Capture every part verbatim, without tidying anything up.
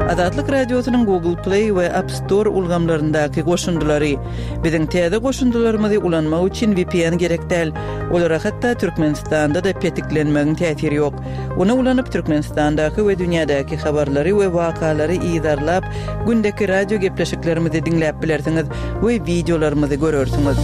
Azatlyk Radiosynyň Google Play we App Store ulgamlaryndaky goşundylary. Biziň täze goşundylarymyzy ulanmak üçin V P N gerek däl. Olara hatda Türkmenistanda-da petiklenmegiň täsiri ýok. Ony ulanyp Türkmenistandaky we dünýädäki habarlary we wakalary yzarlap, gündeki radio gepleşiklerimizi diňläp bilersiňiz we wideolarymyzy görersiňiz.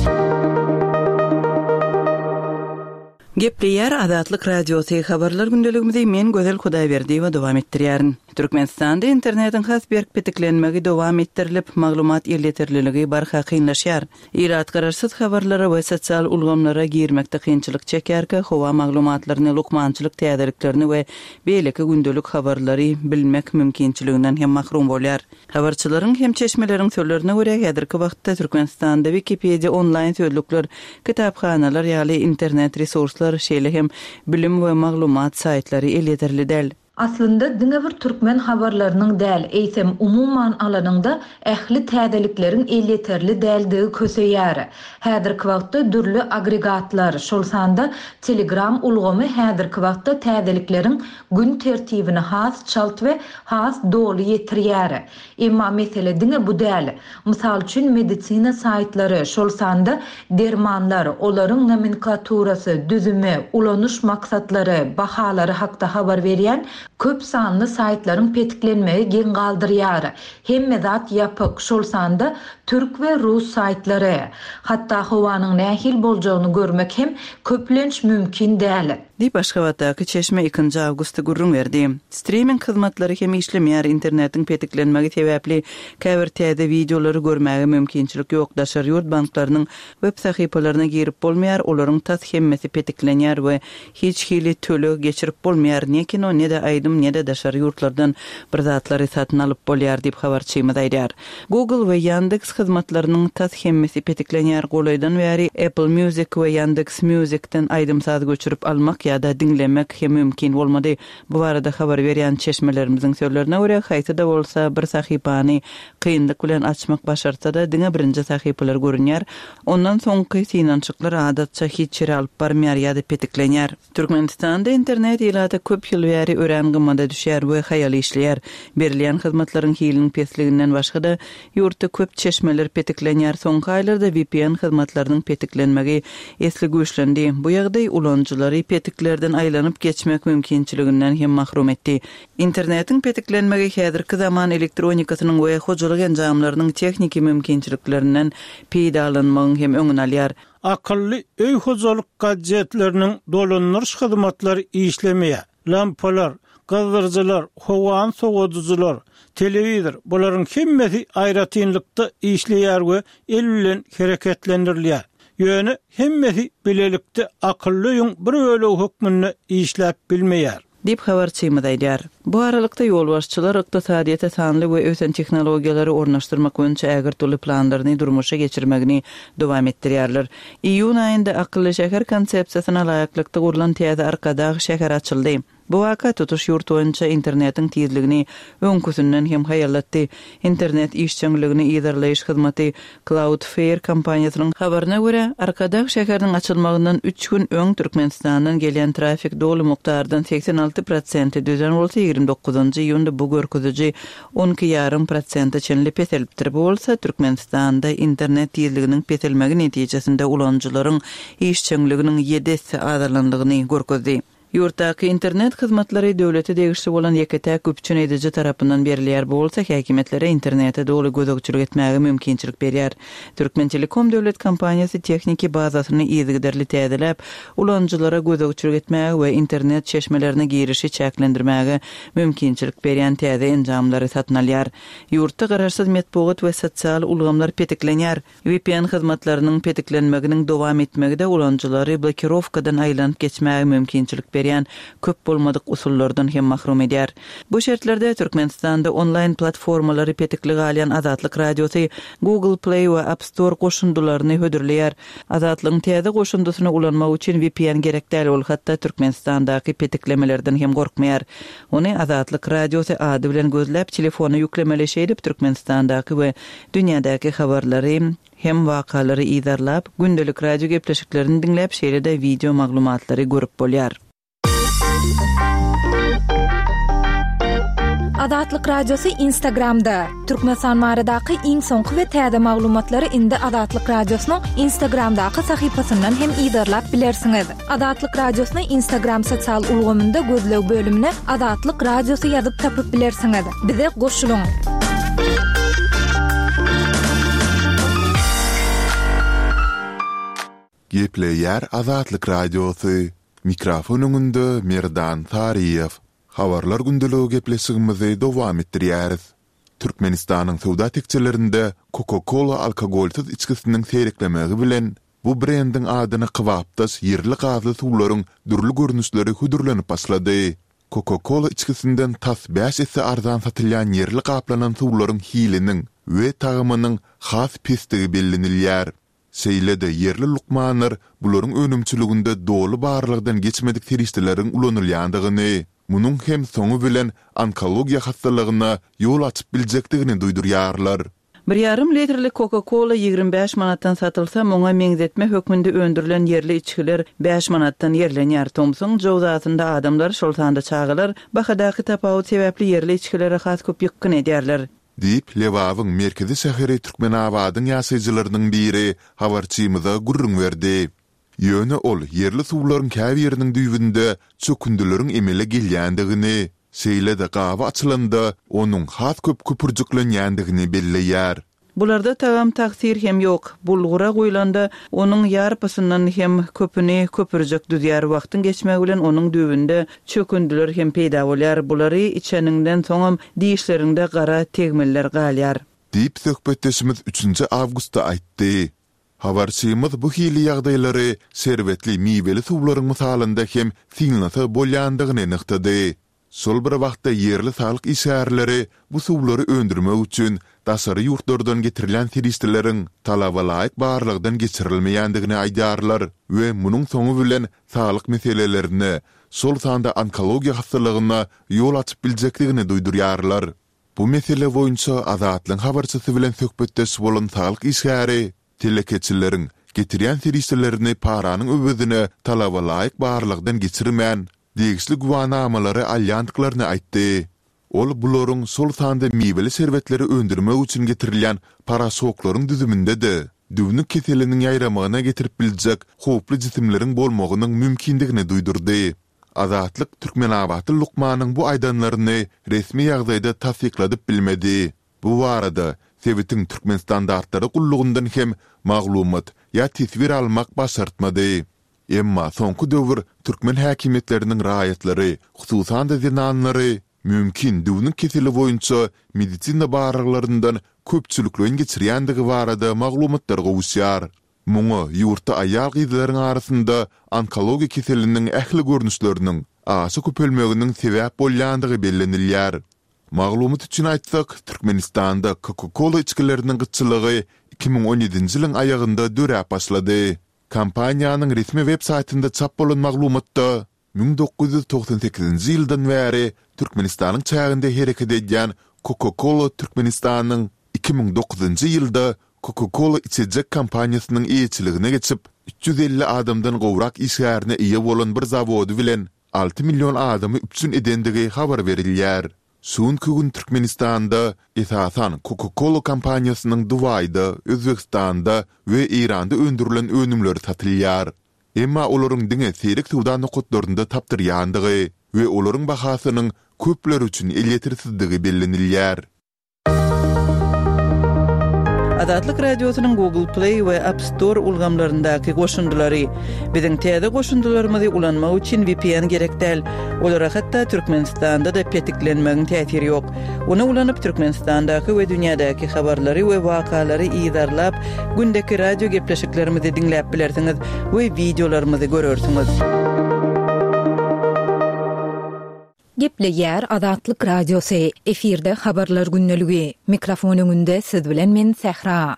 Gepleýär Azatlyk Radiosy, habarlar gündeligimizi men Gözel Hudaýberdiýewa dowam etdirýärin. Türkmenistanda internetiň has berk petiklenmegi dowam etdirilip, maglumat elýeterliligi barha kynlaşýar. Ilat garaşsyz habarlara we sosial ulgamlara girmekde kynçylyk çekýärkä, howa maglumatlaryny, lukmançylyk täzeliklerini we beýleki gündelik habarlary bilmek mümkinçiliginden hem mahrum bolýar. Habarçylaryň hem çeşmeleriň sözlerine görä, häzirki wagtda Türkmenistanda Wikipedia, onlaýn sözlükler, kitaphanalar ýaly internet resurslar, şeýle hem bilim we maglumat saýtlary elýeterli däl. Aslynda diňe bir türkmen habarlarynyň däl, eýsem umuman alanyňda ähli täzelikleriň elýeterli däldigi köseýär. Häzirki wagtda dürli agregatlar, şol sanda Telegram ulgamy häzirki wagtda täzelikleriň gün tertibini has çalt we has doly ýetirýär. Emma mesele diňe bu däl. Mysal üçin medisina saýtlary, şol sanda dermanlar, olaryň nomenklaturasy, düzümi, ulanyş maksatlary, bahalary hakda habar berýän köp sanly saýtlaryň petiklenmegi geň galdyrýar. Hemme zat ýapyk, şol sanda türk we rus saýtlary. Hatda howanyň nähili boljagyny görmek hem köplenç mümkin däl. Diýip Aşgabatdaky çeşme ikinji awgustda gürrüň berdi. Streaming hyzmatlary hem işlemeýär, internetiň petiklenmegi sebäpli käbir täze wideolary görmäge mümkinçilik ýok, daşary ýurt banklarynyň web sahypalaryna girip bolmaýar, olaryň tas hemmesi petiklenýär we hiç hili töleg geçirip bolmaýar, ne kino, ne-de aýdym, ne-de daşary ýurtlardan bir zatlary satyn alyp bolýar diýip habarçymyz aýdýar. Google we Yandex hyzmatlarynyň tas hemmesi petiklenýär. Golaýdan bäri Apple Music we Yandex Music'den aýdym-saz göçürip almak ýa-da diňlemek hem mümkin bolmady. Bu barada habar berýän çeşmelerimiziň sözlerine görä, haýsy-da bolsa bir sahypany kynlyk bilen açmak başarsa-da, diňe birinji sahypalar görünýär. Ondan soňky synanyşyklar adatça hiç ýere alyp barmaýar ýa-da petiklenýär. Türkmenistanda internet ilata köp ýyl bäri örän gymmada düşýär we haýal işleýär. Berilýän hyzmatlaryň hiliniň pesliginden başga-da ýurtda köp çeşmeler petiklenýär. Soňky aýlarda V P N hyzmatlarynyň petiklenmegi esli güýçlendi. Bu ýagdaý ulanyjylary petiklerden aýlanyp geçmek mümkinçiliginden hem mahrum etdi. Internetiň petiklenmegi häzirki zaman elektronikasynyň we hojalyk enjamlarynyň tehniki mümkinçiliklerinden peýdalanmagyň hem öňüni alýar. Akylly öý hojalyk gadjetleriniň dolandyryş hyzmatlary işlemeýär. Lampalar, gyzdyryjylar, howany sowadyjylar, telewizor, bularyň hemmesi aýratynlykda işleýär we el bilen hereketlendirilýär. Ýöne hemmesi bilelikde akylly öýüň bir bölegi hökmünde işläp bilmeýär. Diýip habarçymyz aýdýar. Bu aralykda ýolbaşçylar ykdysadyýete sanly we ösen tehnologiýalary ornaşdyrmak boýunça ägirt uly planlaryny durmuşa geçirmegini dowam etdirýärler. Iýun aýynda akylly şäher konsepsiýasyna laýyklykda gurlan täze Arkadag şäheri açyldy. Bu waka tutuş ýurt boýunça internetiň tizligini öňküsinden hem haýallatdy. Internet işjeňligini yzarlaýyş hyzmaty Cloudflare kompaniýasynyň habaryna görä, Arkadag şäheriniň açylmagyndan üç gün öň Türkmenistandan gelýän trafik doly mukdardan segsen alty prosenti düzen bolsa, ýigrimi dokuzynjy iýunda bu görkeziji on iki ýarym prosente çenli peselipdir. Bu bolsa Türkmenistanda internet tizliginiň peselmegi netijesinde ulanyjylaryň işjeňliginiň ýedi esse azalandygyny görkezdi. Ýurtdaky internet hyzmatlary döwlete degişli bolan ýeke-täk üpjün ediji tarapyndan berilýär. Bu bolsa häkimiýetlere internete doly gözegçilik etmäge mümkinçilik berýär. Türkmen Telekom döwlet kompaniýasy tehniki bazasyny yzygiderli täzeläp, ulanyjylara gözegçilik etmäge we internet çeşmelerine girişi çäklendirmäge mümkinçilik berýän täze enjamlary satyn alýar. Ýurtda garaşsyz metbugat we sosial ulgamlar petiklenýär. V P N hyzmatlarynyň petiklenmeginiň dowam etmegi-de ulanyjylary blokirowkadan aýlanyp geçmäge mümkinçilik berýän köp bolmadyk usullardan hem mahrum edýär. Bu şertlerde Türkmenistanda onlaýn platformalary petikli galýan Azatlyk Radiosy Google Play we App Store goşundylaryny hödürleýär. Azatlygyň täze goşundysyny ulanmak üçin V P N gerek däl, ol hatda Türkmenistandaky petiklemelerden hem gorkmaýar. Ony Azatlyk Radiosy ady bilen gözläp telefona ýüklemeli, şeýdip Türkmenistandaky we dünýädäki habarlary hem wakalary yzarlap, gündelik radio gepleşiklerini diňläp, şeýle-de wideo maglumatlary görüp bolýar. Azatlyk Radiosy Instagramda. Türkmenistan baradaky iň soňky we täze maglumatlary indi Azatlyk Radiosynyň Instagramdaky sahypasyndan hem yzarlap bilersiňiz. Azatlyk Radiosyny Instagram sosial ulgamynda gözleg bölümine Azatlyk Radiosy ýazyp tapyp bilersiňiz. Bize goşulyň. Gepleýär Azatlyk Radiosy. Mikrofon öňünde Merdan Saryýew. Habarlar gündeligi gepleşigimizi dowam etdirýäris. Türkmenistanyň söwda tekjelerinde Coca-Cola alkogolsyz içgisiniň seýreklemegi bilen, bu brendiň adyna kybapdaş ýerli gazly suwlaryň dürli görnüşleri hödürlenip başlady. Coca-Cola içgisinden tas bäş esse arzan satylýan ýerli gaplanan suwlaryň hiliniň we tagamynyň has pesdigi bellenilýär. Şeýle-de ýerli lukmanlar bularyň önümçiliginde doly barlagdan geçmedik serişdeleriň ulanylýandygyny, munuň hem soňy bilen onkologiýa hassalygyna ýol açyp biljekdigini duýdurýarlar. Bir ýarym litrlik Coca-Cola ýigrimi bäş manatdan satylsa, muňa meňzetme hökmünde öndürilen ýerli içgiler bäş manatdan ýerlenýär. Tomsuň jowzasynda adamlar, şol sanda çagalar, bahadaky tapawut sebäpli ýerli içgilere has köp ýykgyn edýärler. Diýip, Lebabyň merkezi şäheri Türkmenabadyň ýaşaýjylarynyň biri habarçymyza gürrüň berdi. Ýöne ol ýerli suwlaryň käbiriniň düýbünde çökündileriň emele gelýändigini, şeýle-de gaby açylanda onuň has köp köpürjiklenýändigini belleýär. Bularda tagam tagsyr hem ýok. Bulgura guýlanda, onuň ýarpysyndan hem köpüni köpürjek düzýär. Wagtyň geçmegi bilen onuň düýbünde çökündiler hem peýda bolýar. Bulary içeniňden soňam dişleriňde gara tegmiller galýar. Diýip, söhbetdeşimiz üçünji awgustda aýtdy. Habarçymyz bu hili ýagdaýlary şerbetli miweli suwlaryň mysalynda hem synlasa bolýandygyny nygtady. Şol bir wagtda ýerli saglyk işgärleri bu suwlary öndürmek üçin daşary ýurtlardan getirilýän serişdeleriň talabalaýyk barlagdan geçirilmeýändigini aýdýarlar we munuň soňy bilen saglyk meselelerine, şol sanda onkologiýa hassalygyna ýol açyp biljekdigini duýdurýarlar. Bu mesele boýunça Azatlygyň habarçysy bilen söhbetdeş bolan saglyk işgäri telekeçileriň getirýän serişdelerini paranyň öwezine talabalaýyk barlagdan geçirmän, degişli güwänamalary alýandyklaryny aýtdy. Ol bularyň şol sanda miweli şerbetleri öndürmek üçin getirilýän poroşoklaryň düzüminde-de düwnük keseliniň ýaýramagyna getirip biljek howply jisimleriň bolmagynyň mümkindigini duýdurdy. Azatlyk türkmenabatly lukmanyň bu aýdanlaryny resmi ýagdaýda tassykladyp bilmedi. Bu barada sebitiň Türkmenstandartlary gullugyndan hem maglumat ýa teswir almak başartmady. Emma soňky döwür türkmen häkimiýetleriniň raýatlary, hususan-da zenanlary mümkin düwnük keseli boýunça medisina barlaglaryndan köpçülikleýin geçirýändigi barada maglumatlar gowuşýar. Muňa ýurtda aýal-gyzlaryň arasynda onkologiýa keseliniň ähli görnüşleriniň aşa köpelmeginiň sebäp bolýandygy bellenilýär. Maglumat üçin aýtsak, Türkmenistanda Coca-Cola içgileriniň gytçylygy iki müň on ýedinji ýylyň aýagynda döräp başlady. Kompaniýanyň resmi web saýtynda çap bolan maglumatda müň dokuz ýüz togsan sekizinji ýyldan bäri Türkmenistanyň çäginde hereket edýän Coca-Cola Türkmenistanyň iki müň dokuzynjy ýylda Coca-Cola içejek kompaniýasynyň eýeçiligine geçip, üç ýüz elli adamdan gowrak işgärine eýe bolan bir zawody bilen alty million adamy üpjün edendigi habar berilýär. Şu günki gün Türkmenistanda, esasan, Coca-Cola kompaniýasynyň Dubaýda, Özbegistanda we Eýranda öndürilen önümleri satylýar. Emma olaryň diňe seýrek söwda nokatlarynda tapdyrýandygy we olaryň bahasynyň köpler üçin elýetersizdigi bellenilýär. Azatlyk Radiosynyň Google Play we App Store ulgamlaryndaky goşundylary. Biziň täze goşundylarymyzy ulanmak üçin V P N gerek däl. Olara hatda Türkmenistanda-da petiklenmegiň täsiri ýok. Ony ulanyp Türkmenistandaky we dünýädäki habarlary we wakalary yzarlap, gündeki radio gepleşiklerimizi diňläp bilersiňiz we wideolarymyzy görersiňiz. Gepleýär Azatlyk Radiosy. Efirde habarlar gündeligi. Mikrofon öňünde siz bilen men Sähra.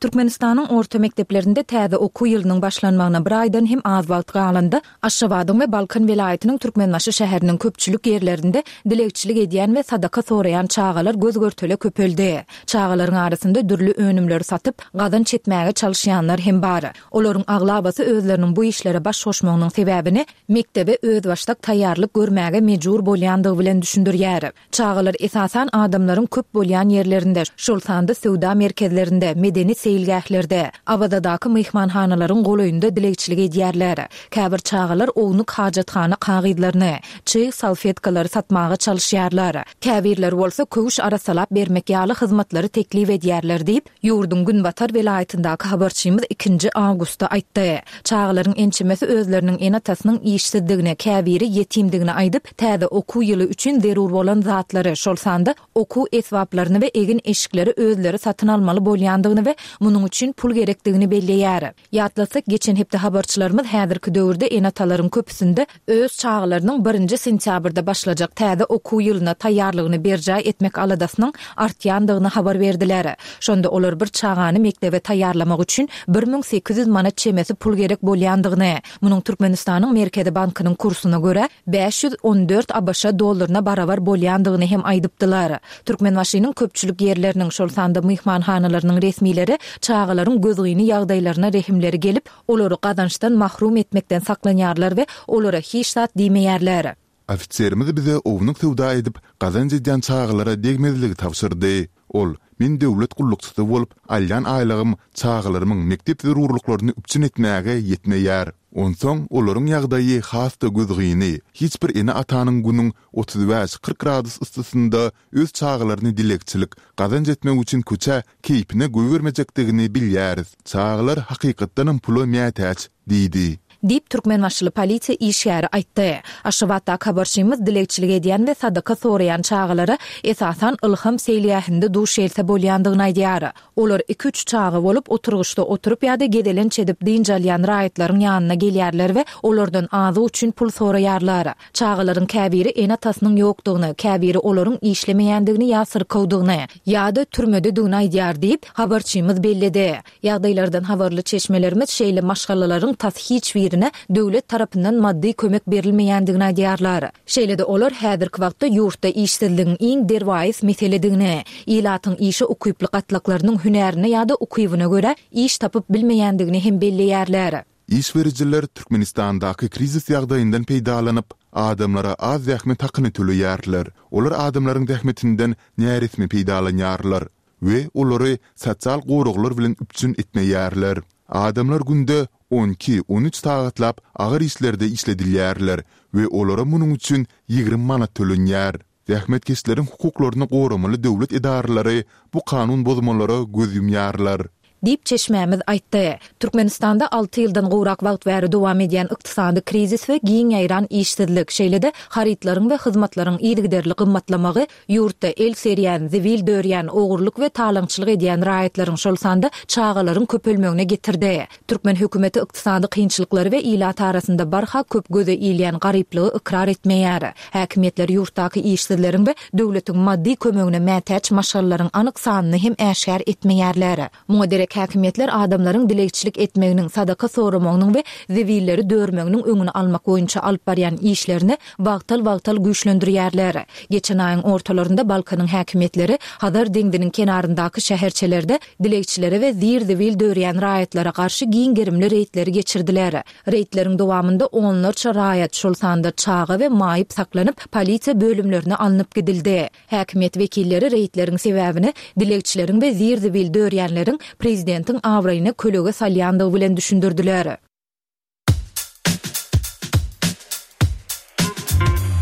Türkmenistanyň orta mekdeplerinde täze okuw ýylynyň başlanmagyna bir aýdan hem az wagt galanda, Aşgabadyň we Balkan welaýatynyň Türkmenbaşy şäheriniň köpçülik ýerlerinde dilegçilik edýän we sadaka soraýan çagalar göz-görtele köpeldi. Çagalaryň arasynda dürli önümleri satyp, gazanç etmäge çalyşýanlar hem bar. Olaryň aglabasy özleriniň bu işlere baş goşmagynyň sebäbini mekdebe özbaşdak taýýarlyk görmäge mejbur bolýandygy bilen düşündirýär. Çagalar esasan adamlaryň köp bolýan ýerlerinde, şol sanda söwda merkezlerinde, medeni seýilgählerde, Awazadaky myhmanhanalaryň golaýynda dilegçilik edýärler. Käbir çagalar ownuk hajathana kagyzlaryny, çyg salfetkalary satmaga çalyşýarlar. Käbirleri bolsa köwüş arassalap bermek ýaly hyzmatlary teklip edýärler diýip, ýurduň günbatar welaýatyndaky habarçymyz ikinji awgustda aýtdy. Çagalaryň ençemesi özleriniň ene-atasynyň işsizdigini, käbiri ýetimdigini aýdyp, täze okuw ýyly üçin zerur bolan zatlary, şol sanda okuw esbaplaryny we egin-eşikleri özleri satyn almaly bolýandygyny we munuň üçin pul gerekdigini belleýär. Ýatlatsak, geçen hepde habarçylarymyz häzirki döwürde ene-atalaryň köpüsinde öz çagalarynyň birinji sentýabrda başlajak täze okuw ýylyna taýýarlygyny berjaý etmek aladasynyň artýandygyny habar berdiler. Şonda olar bir çagany mekdebe taýýarlamak üçin bir müň sekiz ýüz manat çemesi pul gerek bolýandygyny, munuň Türkmenistanyň Merkezi bankynyň kursuna görä bäş ýüz on dört ABŞ dollaryna barabar bolýandygyny hem aýdypdylar. Türkmenbaşynyň köpçülik ýerleriniň, şol sanda myhmanhanalarynyň resmileri çagalaryň gözgyny ýagdaýlaryna rehimleri gelip, olary gazançdan mahrum etmekden saklanýarlar we olara hiç zat diýmeýärler. Ofiserimiz bize ownuk söwda edip, gazanç edýän çagalara degmezligi tabşyrdy. Ol, Men döwlet gullukçysy bolup, alýan aýlygym çagalarymyň mekdep zerurlyklaryny üpjün etmäge ýetmeýär. Onsoň olaryň ýagdaýy has-da gözgyny, hiç bir ene-atanyň günüň otuz bäş-kyrk gradus yssysynda öz çagalaryny dilegçilik, gazanç etmek üçin köçä keýpine goýbermejekdigini bilýäris. Çagalar hakykatdanam pula mätäç, diýdi. Diýip, türkmenbaşyly polisiýa işgäri aýtdy. Aşgabatdaky habarçymyz dilegçilik edýän we sadaka soraýan çagalara esasan Ylham seýilgähinde duş gelse bolýandygyny aýdýar. Olar iki-üç çaga bolup, oturgyçda oturyp ýa-da gezelenç edip dynç alýan raýatlaryň ýanyna gelýärler we olardan azyk üçin pul soraýarlar. Çagalaryň käbiri ene-atasynyň ýokdugyny, käbiri olaryň işlemeýändigini ýa syrkawdygyny, ýa-da türmededigini aýdýar diýip, habarçymyz belledi. Ýagdaýlardan habarly çeşmelerimiz şeýle maşgalalaryň tas hiç birine döwlet tarapyndan maddy kömek berilmeýändigini aýdýarlar. Şeýle-de olar häzirki wagtda ýurtda işsizligiň iň derwaýys meseledigini, ilatyň işe ukyply gatlaklarynyň hünärine ýa-da ukybyna görä iş tapyp bilmeýändigini hem belleýärler. Iş berijiler Türkmenistandaky krizis ýagdaýyndan peýdalanyp, adamlara az zähmet hakyny töleýärler. Olar adamlaryň zähmetinden näresmi peýdalanýarlar we olary sosial goraglar bilen üpjün etmeýärler. Adamlar günde on iki, on üç sagatlap agyr işlerde işledilýärler we olara munuň üçin ýigrimi manat tölenýär. Zähmetkeşleriň hukuklaryny goramaly döwlet edaralary bu kanun bozmalara göz ýumýarlar. Diýip, çeşmämiz aýtdy. Türkmenistanda alty ýyldan gowrak wagt bäri dowam edýän ykdysady krizis we giň ýaýran işsizlik, şeýle-de harytlaryň we hyzmatlaryň yzygiderli gymmatlamagy ýurtda el serýän, zibil dörýän, ogurlyk we talaňçylyk edýän raýatlaryň, şol sanda çagalaryň köpelmegine getirdi. Türkmen hökümeti ykdysady kynçylyklary we ilat arasynda barha köp göze ilýän garyplygy ykrar etmeýär. Häkimiýetler ýurtdaky işsizleriň we döwletiň maddy kömegine mätäç maşgalalaryň anyk sanyny hem äşgär etmeýärler. Muňa derek häkimiýetler adamlaryň dilegçilik etmeginiň, sadaka soramagynyň we zibilleri dörmeginiň öňüni almak boýunça alyp barýan işlerini wagtal-wagtal güýçlendirýärler. Geçen aýyň ortalarynda Balkanyň häkimiýetleri Hazar deňziniň kenaryndaky şäherçelerde dilegçilere we zir-zibil dörýän raýatlara garşy giň gerimli reýdleri geçirdiler. Reýdleriň dowamynda onlarça raýat, şol sanda çaga we maýyp saklanyp, polisiýa bölümlerine alnyp gidildi. Häkimiýet wekilleri reýdleriň sebäbini dilegçileriň we zir-zibil dörýänleriň prezidentiň abraýyna kölege salýandygy bilen düşündirdiler.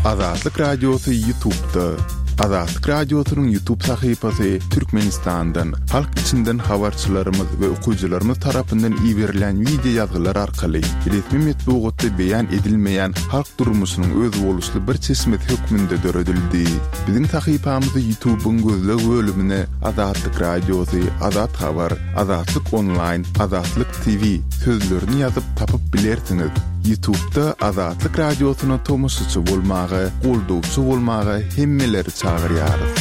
Azatlyk Radiosy YouTube-da. Azatlyk Radiosynyň YouTube sahypasy Türkmenistandan, halk içinden habarçylarymyz we okyjylarymyz tarapyndan iberilýän wideo ýazgylar arkaly resmi metbugatda beýan edilmeýän halk durmuşynyň özboluşly bir çeşmesi hökmünde döredildi. Biziň sahypamyzy YouTube-yň gözleg bölümine Azatlyk Radiosy, Azat Habar, Azatlyk Onlaýn, Azatlyk T V sözlerini ýazyp tapyp bilersiňiz. YouTube-da Azatlyk Radiosyna tomaşaçy bolmaga, goldawçy bolmaga hemmeleri çagyrýarys.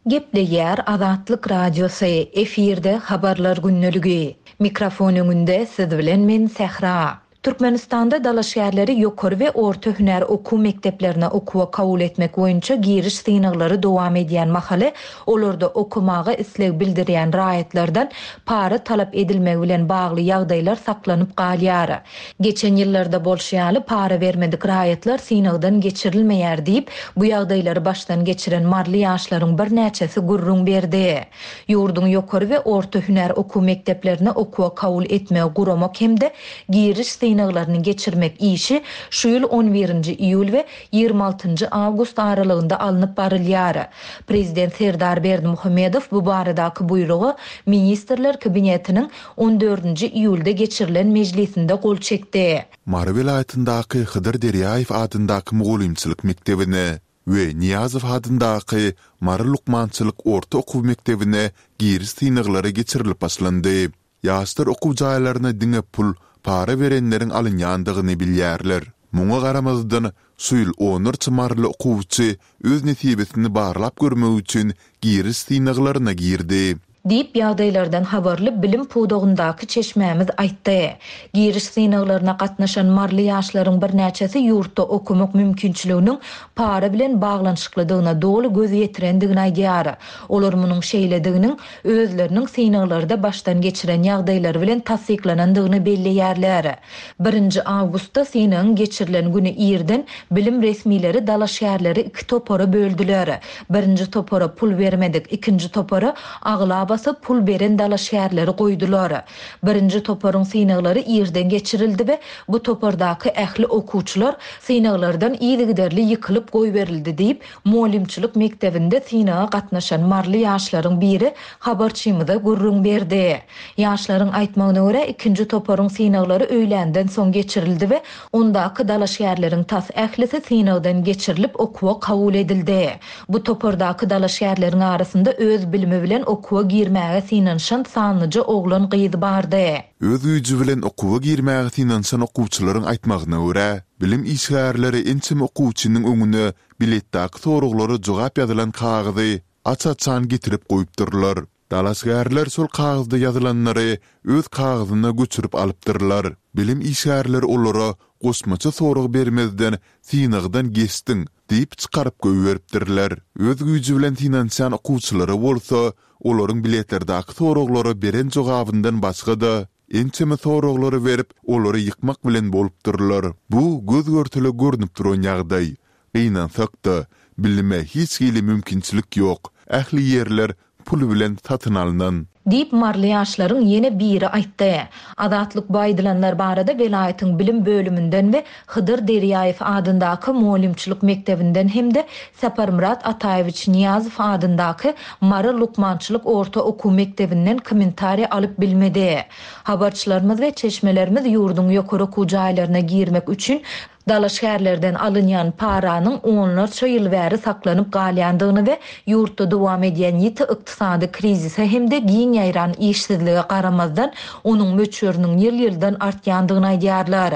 Gepleýär Azatlyk Radiosy, efirde Habarlar gündeligi. Mikrofon öňünde siz bilen men Sähra. Türkmenistanda dalaşgärleri ýokary we orta hünär okuw mekdeplerine okuwa kabul etmek boýunça giriş synaglary dowam edýän mahaly olarda okamaga isleg bildirýän raýatlardan para talap edilmegi bilen bagly ýagdaýlar saklanyp galýar. Geçen ýyllarda bolşy ýaly para bermedik raýatlar synagdan geçirilmeýär diýip, bu ýagdaýlary başdan geçiren maryly ýaşlaryň birnäçesi gürrüň berdi. Ýurduň ýokary we orta hünär okuw mekdeplerine okuwa kabul etmegi guramak hem-de giriş synaglaryny geçirmek işi şu ýyl on birinji iýul we ýigrimi altynjy awgust aralygynda alnyp barylýar. Prezident Serdar Berdimuhamedow bu baradaky buýruga Ministrler Kabinetiniň on dördünji iýulda geçirilen mejlisinde gol çekdi. Mary welaýatyndaky Hydyr Derýaýew adyndaky mugallymçylyk mekdebine we Nyýazow adyndaky Mary lukmançylyk orta okuw mekdebine giriş synaglary geçirilip başlandy. Ýaşlar okuw jaýlaryna diňe pul, para berenleriň alynýandygyny bilýärler. Muňa garamazdan, şu ýyl onlarça maryly okuwçy öz nesibesini barlap görmek üçin giriş synaglaryna girdi. Diýip, ýagdaýlardan habarly bilim pudagyndaky çeşmämiz aýtdy. Giriş synaglaryna gatnaşan maryly ýaşlaryň birnäçesi ýurtda okumak mümkinçiliginiň para bilen baglanyşyklydygyna doly göz ýetirendigini aýdýar. Olar munuň şeýlediginiň özleriniň synaglarda başdan geçiren ýagdaýlary bilen tassyklanandygyny belleýärler. Birinji awgustda synagyň geçirilen güni irden bilim resmileri dalaşgärleri iki topara böldüler. Birinji topara pul bermedik, ikinji topara aglabasy pul beren dalaşgärleri goýdular. Birinji toparyň synaglary irden geçirildi we bu topardaky ähli okuwçylar synaglardan yzygiderli ýykylyp goýberildi diýip, mugallymçylyk mekdebinde synaga gatnaşan maryly ýaşlaryň biri habarçymyza gürrüň berdi. Ýaşlaryň aýtmagyna görä, ikinji toparyň synaglary öýländen soň geçirildi we ondaky dalaşgärleriň tas ählisi synagdan geçirilip okuwa kabul edildi. Bu topardaky dalaşgärleriň arasynda öz bilimi bilen okuwa girmäge synanyşan sanlyja oglan gyz bardy. Öz güýji bilen okuwa girmäge synanyşan okuwçylaryň aýtmagyna görä, bilim işgärleri ençeme okuwçynyň öňüne biletdäki soraglara jogap ýazylan kagyzy aç-açan getirip goýupdyrlar. Dalaşgärler şol kagyzda ýazylanlary öz kagyzyna göçürip alypdyrlar. Bilim işgärleri olara goşmaça sorag bermezden synagdan geçdiň diýip çykaryp goýberipdirler. Öz güýji bilen synanyşan okuwçylara bolsa olaryň biletlerdäki soraglara beren jogabyndan başga-da ençeme soraglary berip, olary ýykmak bilen bolupdyrlar. Bu göz görtele görnüp duran ýagdaý. Gynansak-da, bilime hiç hili mümkinçilik ýok. Ähli ýerler pul bilen satyn alynan. Diýip, maryly ýaşlaryň ýene biri aýtdy. Azatlyk bu aýdylanlar barada welaýatyň bilim bölüminden we Hydyr Derýaýew adyndaky mugallymçylyk mekdebinden hem-de Saparmyrat Ataýewiç Nyýazow adyndaky Mary lukmançylyk orta okuw mekdebinden kommentariýa alyp bilmedi. Habarçylarymyz we çeşmelerimiz ýurduň ýokary okuw jaýlaryna girmek üçin dalaşgärlerden alynýan paranyň onlarça ýyl bäri saklanyp galýandygyny we ýurtda dowam edýän ýiti ykdysady krizise hem-de giň ýaýran işsizlige garamazdan onuň möçberiniň ýyl-ýyldan artýandygyny aýdýarlar.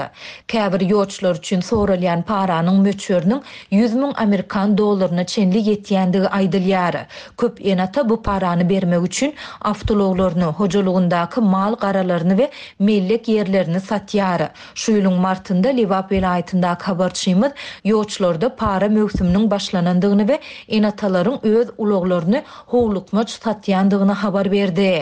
Käbir ýolçular üçin soralýan paranyň möçberiniň ýüz müň amerikan dollaryna çenli ýetýändigi aýdylýar. Köp ene-ata bu parany bermek üçin awtoulaglaryny, hojalygyndaky mal garalaryny we mellek ýerlerini satýar. Şu ýylyň martynda Lebap welaýatyndaky habarçymyz ýolçularda para möwsüminiň başlanandygyny we ene-atalaryň öz ulaglaryny howlukmaç satýandygyny habar berdi.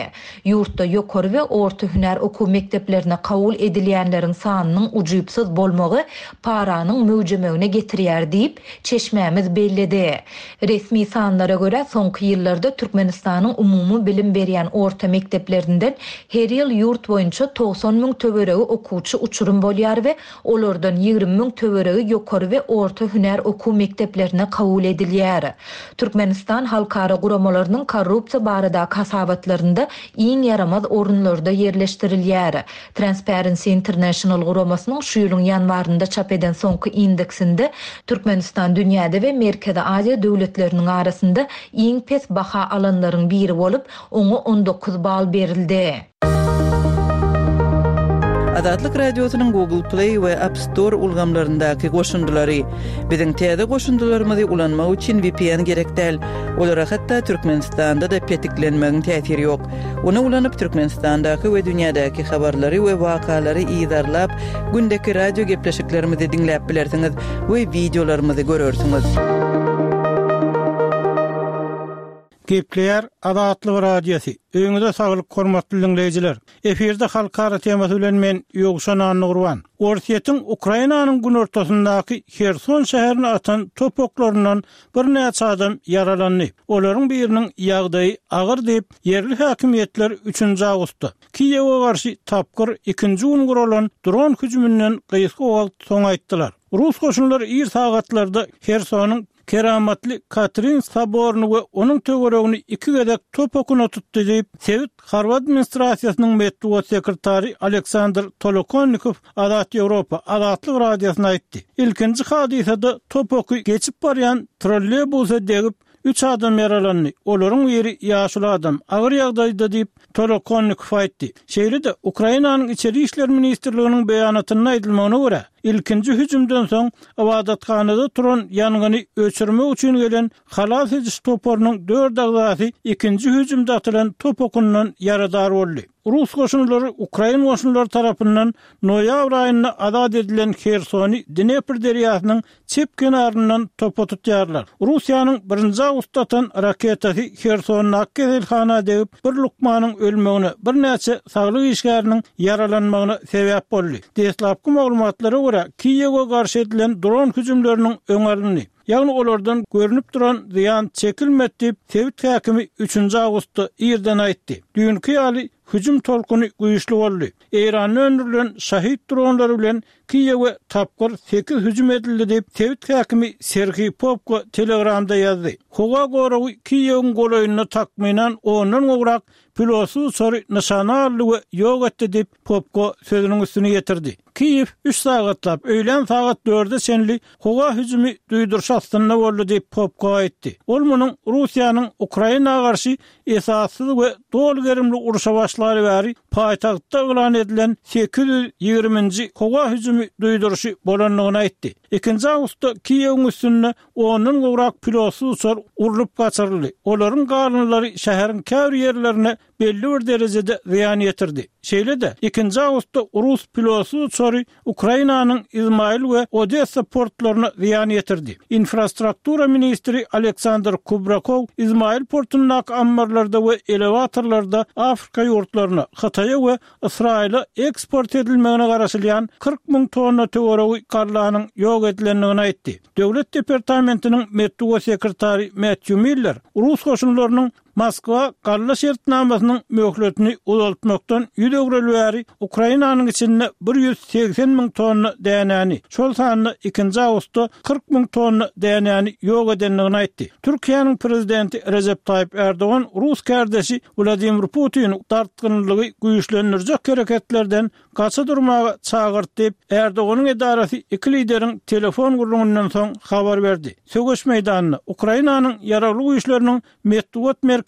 Ýurtda ýokary we orta hünär okuw mekdeplerine kabul edilýänleriň sanynyň ujypsyz bolmagy paranyň möwjemegine getirýär diýip, çeşmämiz belledi. Resmi sanlara görä, soňky ýyllarda Türkmenistanyň umumy bilim berýän orta mekdeplerinden her ýyl ýurt boýunça togsan müň töweregi okuwçy uçurum bolýar we olardan ýigrimi müň töweregi ýokary we orta hünär okuw mekdeplerine kabul edilýär. Türkmenistan halkara guramalarynyň korrupsiýa baradaky hasabatlarynda iň ýaramaz orunlarda ýerleşdirilýär. Transparency International guramasynyň şu ýylyň ýanwarynda çap eden soňky indeksinde Türkmenistan dünýäde we Merkezi Aziýa döwletleriniň arasynda iň pes baha alanlaryň biri bolup, oňa on dokuz bal berildi. Azatlyk Radiosynyň Google Play we App Store ulgamlaryndaky goşundylary. Biziň täze goşundylarymyzy ulanmak üçin V P N gerek däl. Olara hatda Türkmenistanda-da petiklenmegiň täsiri ýok. Ony ulanyp Türkmenistandaky we dünýädäki habarlary we wakalary yzarlap, gündeki radio gepleşiklerimizi diňläp bilersiňiz we wideolarymyzy görersiňiz. Gepleýär Azatlyk Radiosy. Öýüňize saglyk, hormatly diňleýjiler. Efirde halkara temasy bilen men Ýowşan Annagurban. Orsýetiň Ukrainanyň günortasyndaky Herson şäherine atan top oklaryndan birnäçe adam ýaralandy. Olaryň biriniň ýagdaýy agyr diýip, ýerli häkimiýetler üçünji awgustda Kiýewe garşy tapgyr ikinji gün guralan dron hüjüminden gysga wagt soň aýtdylar. Rus goşunlary ir sagatlarda Hersonyň Keramatly Katrin soboryny we onuň töweregini iki gezek top okuna tutdy diýip, sebit harby administrasiýasynyň metbugat sekretary Aleksandr Tolokonnikow Azat Ýewropa Azatlyk Radiosyna aýtdy. Ilkinji hadysada top oky geçip barýan trolleybusa degip, üç adam ýaralandy. Olaryň biri ýaşuly adam, agyr ýagdaýda diýip, Tolokonnikow aýtdy. Şeýle-de Ukrainanyň Içeri işler ministrliginiň beýanatynda aýdylmagyna görä, ilkinji hüjümden soň ybadathanada turan ýangyny öçürmek üçin gelen halas ediş toparynyň dört agzasy ikinji hüjümde atylan top okundan ýaradar boldy. Rus goşunlary Ukrain goşunlary tarapyndan noýabr aýynda azat edilen Hersony Dnepr derýasynyň çep kenaryndan topa tutýarlar. Russiýanyň birinji awgustda atan raketasy Hersondaky keselhana degip, bir lukmanyň ölmegine, birnäçe saglyk işgäriniň ýaralanmagyna sebäp boldy. Deslapky maglumatlara görä, Kiýewe garşy edilen dron hüjümleriniň öňi alyndy. Ýagny olardan görnüp duran zyýan çekilmedi diýip, sebit häkimi üçünji awgustda irden aýtdy. Düýnki ýaly hüjüm tolkuny güýçli boldy. Eýranda öndürilen Şahid dronlary bilen Kiýewe tapgyr sekiz hüjüm edildi diýip, sebit häkimi Serhiý Popko Telegramda ýazdy. Howa goragy Kiýewiň golaýynda takmynan ondan gowrak pilotsyz uçary nyşana aldy we ýok etdi diýip, Popko sözüniň üstüni ýetirdi. Kiýew üç sagatlap, öýlän sagat dörde çenli howa hüjümi duýduryş astynda boldy diýip, Popko aýtdy. Ol munuň Russiýanyň Ukraina garşy esassyz we doly gerimli urşa başlaly bäri paýtagtda yglan edilen sekiz ýüz ýigriminji howa hüjümi duýduryşy bolandygyny aýtdy. Ikinji awgustda Kiýewiň üstünde ondan gowrak pilotsyz uçar urlup gaçyryldy. Olaryň galyndylary şäheriň käbir ýerlerine belli bir derejede zyýan ýetirdi. Şeýle-de, ikinji awgustda rus pilotsyz uçary Ukrainanyň Izmail we Odessa portlaryna zyýan ýetirdi. Infrastruktura ministri Aleksandr Kubrakow Izmail portundaky ammarlarda we elewatorlarda Afrika ýurtlaryna, Hytaýa we Ysraýyla eksport edilmegine garaşylýan kyrk müň tonna töweregi gallanyň ýok edilendigini aýtdy. Döwlet departamentiniň metbugat sekretary Matthew Miller rus goşunlarynyň Moskwa galla şertnamasynyň möhletini uzaltmakdan ýüz öwreli bäri Ukrainanyň içinde bir ýüz segsen müň tonna dänäni, şol sanda ikinji awgustda kyrk müň tonna dänäni ýok edendigini aýtdy. Türkiýäniň prezidenti Rejep Taýyp Erdogan rus kärdeşi Wladimir Putini dartgynlygy güýçlendirjek hereketlerden gaça durmaga çagyrdy diýip, Erdoganyň edarasy iki lideriň telefon gürrüňinden soň habar berdi. Söweş meýdanynda Ukrainanyň ýaragly güýçleriniň metbugat merkeziniň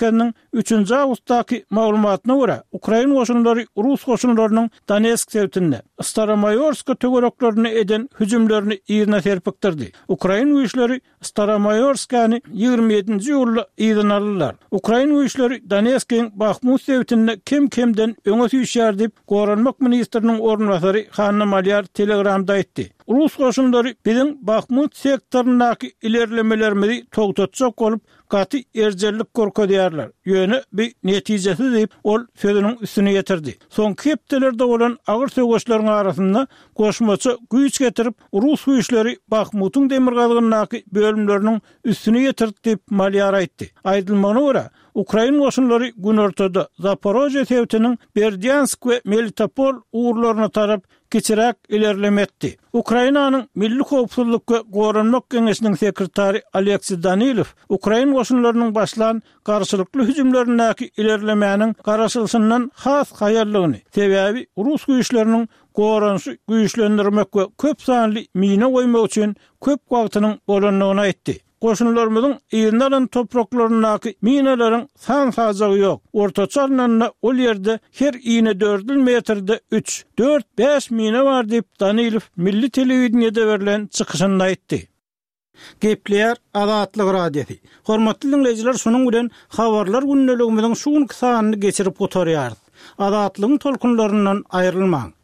üçünji awgustdaky maglumatyna görä, ukrain goşunlary rus goşunlarynyň Donetsk sebitinde, Staromaýorska töwereklerinde eden hüjümlerini yzyna serpikdirdi. Ukrain güýçleri Staromaýorskany ýigrimi ýedinji iýulda yzyna aldylar. Ukrain güýçleri Donetskiň Bahmut sebitinde kem-kemden öňe süýşýär diýip, Goranmak ministriniň orunbasary Hanna Malýar Telegramda aýtdy. Rus goşunlary biziň Bahmut sektoryndaky ilerlemelerimizi togtatjak bolup, gaty erjellik görkezýärler. Ýöne bu netijesiz diýip, ol sözüniň üstüni ýetirdi. Soňky hepdelerde bolan agyr söweşleriň arasynda goşmaça güýç getirip, rus güýçleri Bahmutyň demirgazygyndaky bölümleriniň üstüni ýetirdi diýip, Malýar aýtdy. Aýdylmagyna görä, ukrain goşunlary günortada Zaporožýe sebitiniň Berdýansk we Melitopol ugurlaryna tarap kiçiräk ilerleme etdi. Ukrainanyň Milli howpsuzlyk we goranmak geňeşiniň sekretary Oleksiý Danilow ukrain goşunlarynyň başlan garşylykly hüjümlerindäki ilerlemäniň garaşylyşyndan has haýallygyny, sebäbi rus güýçleriniň goranyşy güýçlendirmek we köp sanly mina goýmak üçin köp wagtynyň bolandygyny aýtdy. Goşunlarymyzyň yzyna alan topraklaryndaky minalaryň san-sajagy ýok. Ortaça alnanda, ol ýerde her inedördül metrde üç, dört, bäş mina bar diýip, Danilow milli telewideniýede berlen çykyşynda aýtdy. Gepleýär Azatlyk Radiosy. Hormatly diňleýjiler, şunuň bilen Habarlar gündeligimiziň şu günki sanyny geçirip gutarýarys. Azatlygyň tolkunlaryndan aýrylmaň!